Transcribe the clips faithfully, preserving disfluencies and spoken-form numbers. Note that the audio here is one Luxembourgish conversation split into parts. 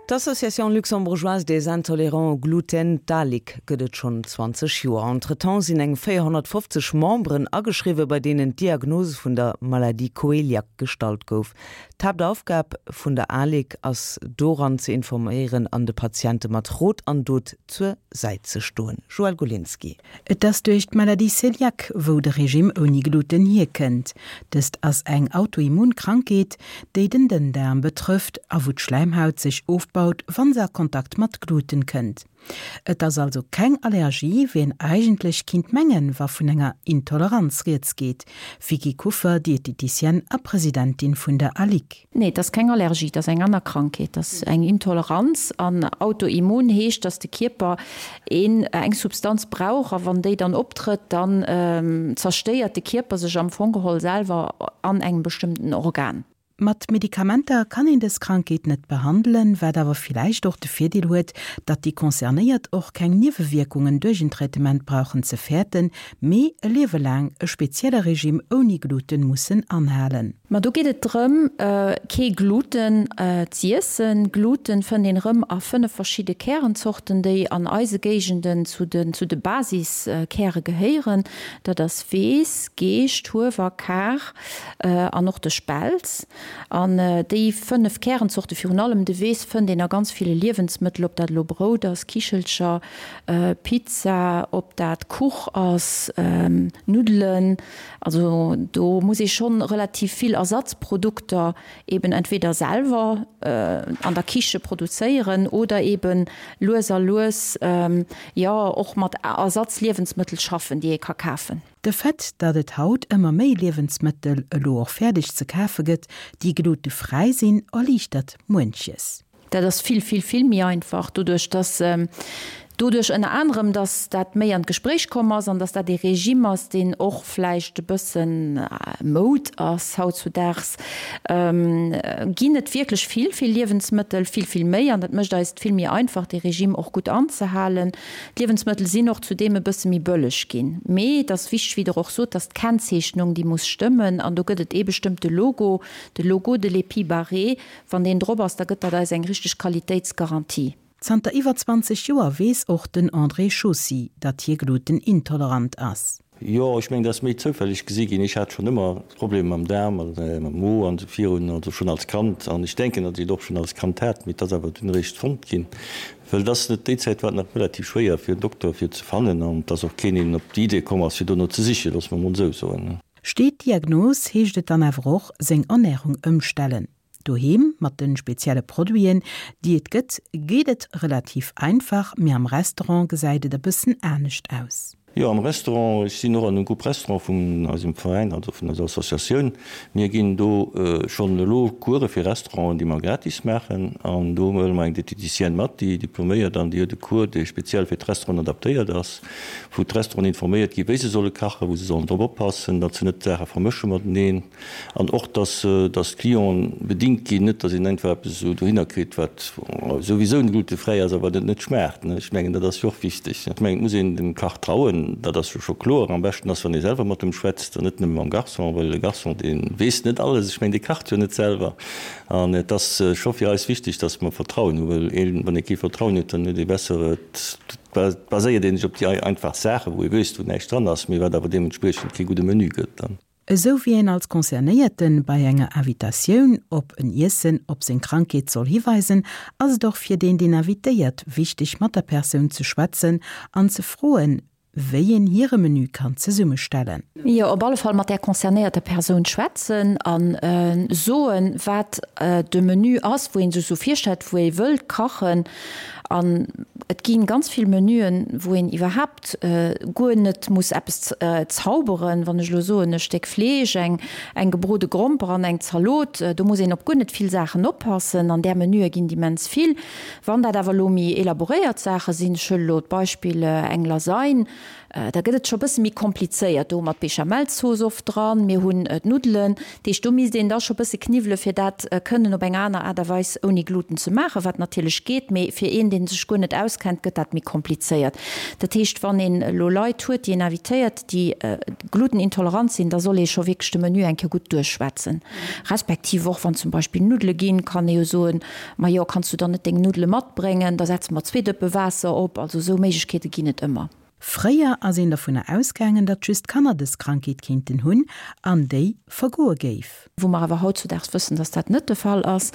D'Association luxembourgeoise des intolérants au gluten, d'ALIG, gëtt et schonn zwanzeg Joer. Entretemps sinn eng véierhonnertfofzeg Memberen ageschriwwen, bei deenen d'Diagnose vun der Maladie coeliaque gestallt gouf. D'Haaptaufgab vun der ALIG ass doran ze informéieren an de Patiente mat Rot an Dot zur Säit ze stoen. Joëlle Golinski. Et ass duerch d'Maladie cœliaque, wou de Regime ouni Gluten hierkënnt. Dëst ass eng Autoimmunkrankheet, déi den Dënndaarm betrëfft a wou d'Schläimhaut sech ofbaut, wann se a Kontakt mat Gluten kënnt. Et ass also keng Allergie, wéi een eigentlech kinnt mengen, wa vun enger Intoleranz rieds geet. Vicky Kuffer, Dieteticienne a Presidentin vun der ALIG. Nee, et ass keng Allergie, et ass eng aner Krankheet, et ass eng Intoleranz. An autoimmun heescht, dass de Kierper een eng Substanz brauch a wann déi dann optrëtt, dann zerstéiert de Kierper sech am Fong geholl selwer an engem bestëmmten Organ. Mat Medikamenter kann een dës Krankheet net behandelen, wat awer villäicht och de Virdeel huet, datt déi Concernéiert och keng Niewewierkungen duerch en Traitement brauchen ze fäerten, mee e Liewe laang e spezielle Regime ouni Gluten mussen anhalen. Ma do geet et drëm, kee Gluten z'iessen. Gluten fënnt een erëm a fënnef verschidde Kärenzorten, déi an eise Géigenden zu de zu de Basiskäre gehéieren. Dat ass Weess, Geescht, Huewer, Kar an och de Spelz. An déi fënnef Kärenzorte, virun allem de Weess, fënnt een a ganz ville Liewensmëttel, ob dat elo Brout ass, Kichelcher, Pizza, ob dat Kuch ass, Nuddelen. Also do muss ee schonn relativ vill Ersatzprodukter eben entweder selwer an der Kiche produzéieren oder eben lues a lues, jo, och mat Ersatzliewensmëttel schaffen, déi ee ka kafen. De Fait, datt et haut ëmmer méi Liewensmëttel elo och fäerdeg ze kafe gëtt, déi glutefräi sinn, erliichtert muenches. Dat ass vill, vill, vill méi einfach, doduerch dass, doduerch ënner anerem, dass dat méi an d'Gespréich komm ass an dass dat ee Regime ass, deen och vläicht e bëssen Moud ass hautzudaags, ginn et wierklech vill, vill Liewensmëttel, vill, vill méi an dat mécht eis et vill méi einfach, dee Regime och gutt anzehalen. D'Liewensmëttel sinn och zudeem e bësse méi bëlleg ginn. Mee et ass wichteg, wéi Der och sot, dass d'Kennzeechnung, déi muss stëmmen. An do gëtt et ee bestëmmte Logo, de Logo de l'épi barré. Wann deen drop ass, da gëtt dat eis eng richteg Qualitéitsgarantie. Zanter iwwer zwanzeg Joer weess och den André Chaussy, datt hie glutenintolerant ass. Jo, ech mengen, dat ass méi zoufälleg gesi ginn. Ech hat schonn ëmmer Problemer mam Daarm a mam Mo an esou virun, also schonn als Kand. An ech denken, datt ech et och schonn als Kand hat, mee et ass awer dunn eréischt fonnt ginn. Well et ass net, déi Zäit war et nach relativ schwéier fir en Dokter fir ze fannen an et ass och keen een op déi Idee komm ass, fir dono ze sichen, loosse mer emol esou soen. Steet d'Diagnos, heescht et dann awer och, seng Ernärung ëmstellen. Doheem mat de spezielle Produiten, déi et gëtt, geet et relativ einfach, mee am Restaurant gesäit et e bëssen anescht aus. Jo, am Restaurant, ech sinn och an dem Groupe Restaurant vun eisem Veräin, also vun eiser Associatioun. Mir ginn do schonn elo Course fir Restauranten, déi mer gratis maachen. An do huele mer eng Diététicienne mat, déi diploméiert an déi huet e Cours, dee speziell fir d'Restauranten adaptéiert ass, wou d'Restauranten informéiert ginn, wéi se solle kachen, wou se sollen drop oppassen, datt se net d'Saache vermësche mateneen. An och, dass, dass d'Clienten bedingt ginn, net dass een einfach eppes esou dohinner kritt, wat souwisou glutefräi ass, awer wat et net schmaacht. Ech mengen, dat ass jo och wichteg. Ech mengen, et muss een dem Kach trauen, dat ass jo scho kloer. Am beschten ass, wann ee selwer mat em schwätzt an net nëmme mam Garçon, well e Garçon, dee weess net alles. Ech mengen, dee kacht jo net selwer. An et ass scho fir eis wichteg, dass mer Vertrauen hunn, well een, wann ee kee Vertrauen huet, dann huet ee besser, et baséiert ee sech op déi einfach Saachen, wou ee wéisst, wou näischt dran ass, mee wat awer deementspriechend kee gudde Menü gëtt dann. Esou wéi een als Concernéierte bei enger Invitatioun op en Iessen op seng Krankheet soll hiweisen, ass et och fir deen, deen invitéiert, wichteg mat der Persoun ze schwätzen an ze froen, wéi een hire Menü kann zesummestellen. Jo, op alle Fall mat där concernéierter Persoun schwätzen a soen, wat de Menü ass, wou ee sech esou virstellt, wou ee wëllt kachen. An et gi ganz vill Menüen, wou een iwwerhaapt guer net muss eppes zauberen. Wann ech elo soen, e Stéck Fleesch, eng eng gebrode Gromper an eng Zalot, do muss een op guer net vill Saachen oppassen. An där Menüe ginn et immens vill. Wann dat awer elo méi elaboréiert Saache sinn, ech huele elo d'Beispill eng Lasagne, Da gëtt et scho bësse méi komplizéiert. Do hu mer d'Bechamel-Zooss oft dran, mir hunn d'Nuddelen. Dat heescht, do misst een da scho bësse kniwwele fir dat kënnen op eng aner Aart a Weis ouni Gluten ze maachen, wat natierlech geet, mee fir een, deen dee sech guer net auskennt, gëtt dat méi komplizéiert. Dat heescht, wann een elo Leit huet, déi een invitéiert, déi glutenintolerant sinn, da soll ee scho wierklech de Menü eng Kéier gutt duerchschwätzen. Respektiv och wann zum Beispill Nuddele ginn, kann ee jo soen, Majo, kanns du dann net deng Nuddele matbréngen, da setze mer zwee Dëppe Waasser op. Also esou Méiglechkeete ginn et ëmmer. Fréier ass een dovunner ausgaangen, datt just Kanner dës Krankheet kéinten hunn an déi vergoe géif. Wou mer awer hautzudaags wëssen, datt dat net de Fall ass.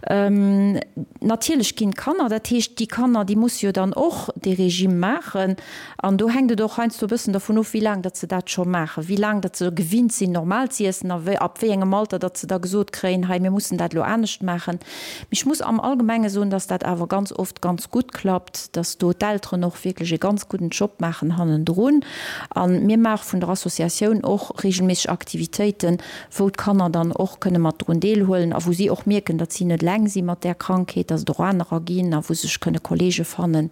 Natierlech ginn d'Kanner, dat heescht, déi Kanner, déi musse jo dann och dee Regime maachen. An do hänkt et och heiansdo e bëssen dervun of, wéi laang datt se dat scho maachen, wéi laang datt se gewinnt sinn, normal z'iessen a wéi, ab wéi engem Alter datt se da gesot kréien, hei, mir mussen dat elo anescht maachen. Mee ech muss am Allgemenge soen, datt dat awer ganz oft ganz gutt klappt, datt do d'Elteren och wierklech e ganz gudden Job maachen hannendrun. A mir maache vun der Associatioun och reegelméisseg Aktivitéiten, wou d'Kanner dann och kënne mat drun deelhuelen a wou si och mierken, datt si net eleng si mat där Krankheet, datt et och anerer ginn a wou sech kënne Kolleege fannen,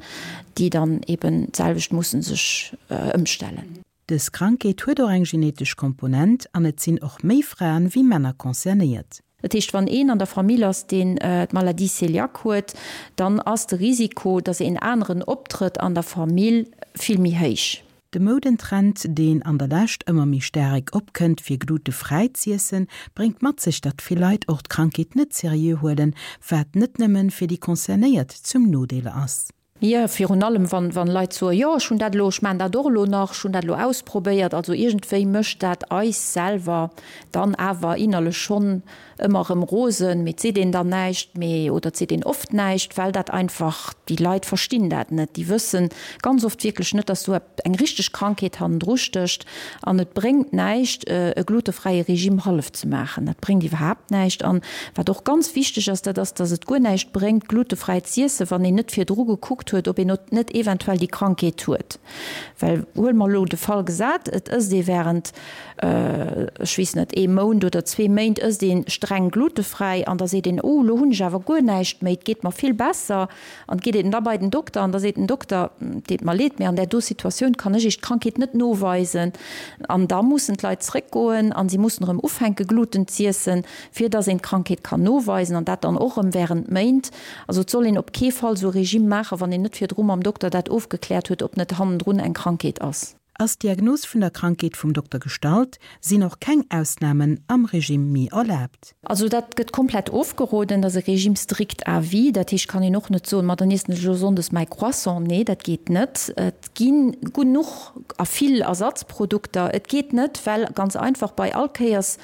déi dann eben d'selwecht musse sech ëmstellen. Dës Krankheet huet och eng genetesch Komponent an et sinn och méi Fraen wéi Männer concernéiert. Dat heescht, wann een an der Famill ass, deen d'Maladie cœliaque huet, dann ass de Risiko, datt een aneren optrëtt an der Famill, vill méi héich. De Moudentrend, deen an der Lescht ëmmer méi staarek opkënnt, fir glutefräi z'iessen, bréngt mat sech, datt vill Leit och d'Krankheet net seriö huelen, wat net nëmmen fir déi Concernéiert zum Nodeel ass. Jo, virun allem wann wann Leit soen, jo ech hunn dat elo, ech maachen dat och elo nach, ech hunn dat elo ausprobéiert. Also iergendwéi mécht dat eis selwer dann awer innerlech schonn ëmmer erëm rosen, mee et seet een dann näischt méi oder et seet een oft näischt, well dat einfach, déi Leit verstinn dat net, déi wëssen ganz oft wierklech net, dass do eng richteg Krankheet hannendru stécht an et bréngt näischt e glutefräie Regime hallef ze maachen, dat bréngt iwwerhaapt näischt. An wat och ganz wichteg ass, dat ass, dass et guer näischt bréngt glutefräi z'iessen, wann een net virdru gekuckt huet, ob een net eventuell déi Krankheet huet. Well huele mer elo de Fall gesat, et ësst ee während, ech weess net, ee Mount oder zwee Méint ësst ee streng glutefräi an da seet een, oh elo hunn ech awer guer näischt méi, et geet mer vill besser. An geet een da bei den Dokter an da seet den Dokter, et deet mer leed, mee an där do Situatioun kann ech Iech d'Krankheet net noweisen. An da mussen d'Leit zréckgoen an si mussen erëm ufänke Gluten z'iessen, fir dass een d'Krankheet kann noweisen an dat dann och erëm während Méint. Also et soll een op kee Fall esou e Regime maachen, wann een net virdru mam Dokter dat ofgekläert huet, ob net hannendrun eng Krankheet ass. Ass d'Diagnos vun der Krankheet vum Dokter gestallt, sinn och keng Ausnamen am Regime méi erlaabt. Also dat gëtt komplett ofgeroden, dat ass e Régime strict à vie. Dat heescht, kann een och net soen, ma dann iessen ech elo sonndes mäi Croissant. Nee, dat geet net. Et gi genuch a vill Ersatzprodukter. Et geet net, well ganz einfach bei all Kéiers,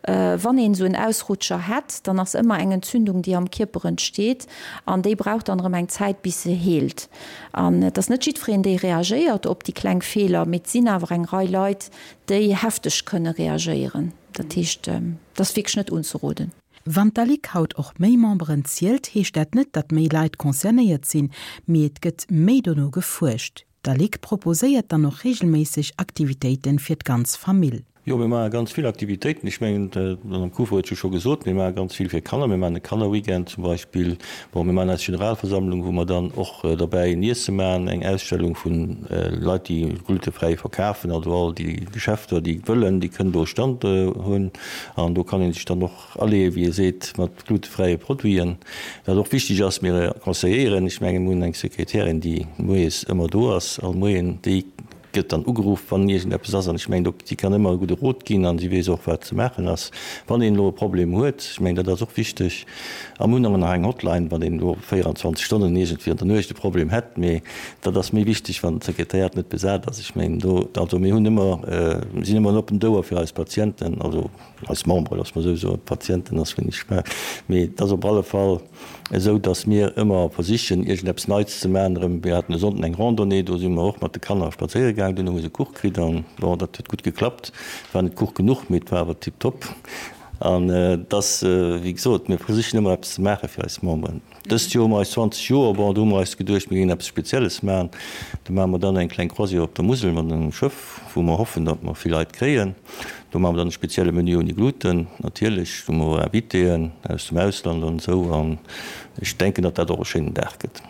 wann een esou en Ausrutscher hätt, dann ass ëmmer eng Entzündung, déi am Kierper entsteet an déi brauch dann erëm eng Zäit, bis se heelt. An et ass net jiddwereen, dee reagéiert op déi kleng Feeler, mee et sinn awer eng Rei Leit, déi hefteg kënne reagéieren. Dat heescht, et ass wierklech net unzeroden. Wann d'Alic haut och méi Memberen zielt, heescht dat net, datt méi Leit concernéiert sinn, mee et gëtt méi dono gefuerscht. D'Alic proposéiert dann och reegelméisseg Aktivitéite fir d'ganz Famill. Jo, mir maache ganz vill Aktivitéiten. Ech mengen, d'Madame Kuffer huet jo scho gesot, mir maache ganz vill fir Kanner. Mir maachen e Kannerweekend zum Beispill. Bon, mir maachen eis Generalversammlung, wou mer dann och derbäi en Iesse maachen, eng Ausstellung vu Leit, déi glutefräi verkafen. Also all déi Geschäfter, déi wëllen, déi kënnen do e Stand hunn. An do kann ee sech dann och aleeë, wéi ee seet, mat glutefräie Produiten. Wat och wichteg ass, mir conseilléieren, ech mengen, mir hunn eng Sekretärin, déi moies ëmmer do ass, all Moien, déi gëtt dann ugeruff, wann iergendeppes ass. An ech mengen, do, si kann ëmmer e gudde Rot ginn a si weess och, wat ze maachen ass, wann een elo e Problem huet. Ech mengen, dat ass och wichteg. A mir hunn och nach eng Hotline, wann een elo véierundzwanzeg Stonnen iergendwéi an der Nuecht e Problem hätt. Mee dat ass méi wichteg, wann d'Sekretariat net besat ass. Ech mengen, do, also mir hunn ëmmer, mir sinn ëmmer en oppent Ouer fir eis Patienten, also eis Memberen, loosse mer esou soen. Patienten ass vun ech, mee et ass op alle Fall esou, datt mir ëmmer versichen, iergendeppes Neits ze maachen. Erëm, mir haten e Sonnden eng Randonnée, do si mer och mat de Kanner spadséiere gaangen, duerno hu se Kuch kritt an bon, dat huet gutt geklappt. Et war net Kuch genuch, mee et war awer tiptop. An et ass, wéi gesot, mir versichen ëmmer eppes ze maache fir eis Memberen. Dëst Joer hu mer eis zwanzeg Joer, bon, do hu mer eis geduecht, mir géingen eppes Spezielles maachen. Do maache mer dann eng kleng Croisière op der Musel mat engem Schëff, wou mer hoffen, datt mer vill Leit kréien. Do maache mer dann e spezielle Menü ouni Gluten, natierlech. Do hu mer och Invitéen aus dem Ausland an esou. An ech denken, datt dat och e schéinen Dag gëtt.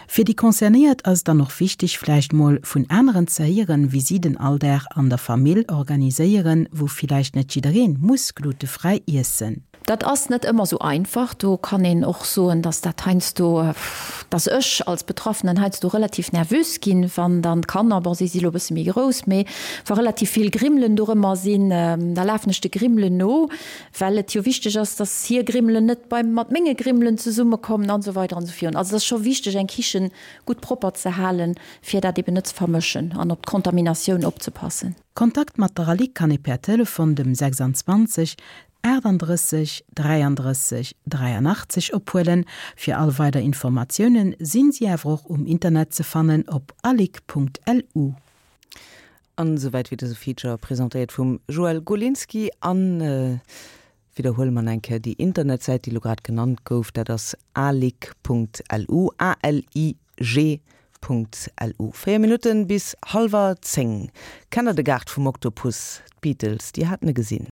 Fir déi Concernéiert ass et dann och wichteg, vläicht mol vun aneren ze héieren, wéi si den Alldag an der Famill organiséieren, wou villäicht net jiddereen muss glutefräi iessen. Dat ass net ëmmer sou einfach. Do kann een och soen, dass dat heiansdo, dass ech als Betraffenen heiansdo relativ nervös ginn, wann dann d'Kanner, bon, si si lo e bësse méi grouss, mee wa relativ vill Grimmelen dorëmmer sinn, da lafen ech de Grimmelen no, well et jo wichteg ass, dass hir Grimmelen net beim mat menge Grimmelen zesummekommen an esou weider an esou virun. Also et ass scho wichteg, eng Kichen gutt propper ze halen, fir dat eben net ze vermëschen an op d'Kontaminatioun opzepassen. Kontakt mat der ALIG kann ee per Telefon dem sechsundzwanzeg achtundrësseg dräiandrësseg dräianachtzeg ophuelen. Fir all weider Informatiounen sinn si awer och um Internet ze fannen op alig.lu. An esouwäit wéi dëse Feature, presentéiert vum Joël Golinski. An widderhuele mer eng Kéier déi Internetsäit, déi elo grad genannt gouf, dat ass alig.lu, A-L-I-G Punkt lu. Véier Minutten bis hallwer zéng. Kennt der de Gaart vum Oktopus? D'Beatles, déi haten e gesinn.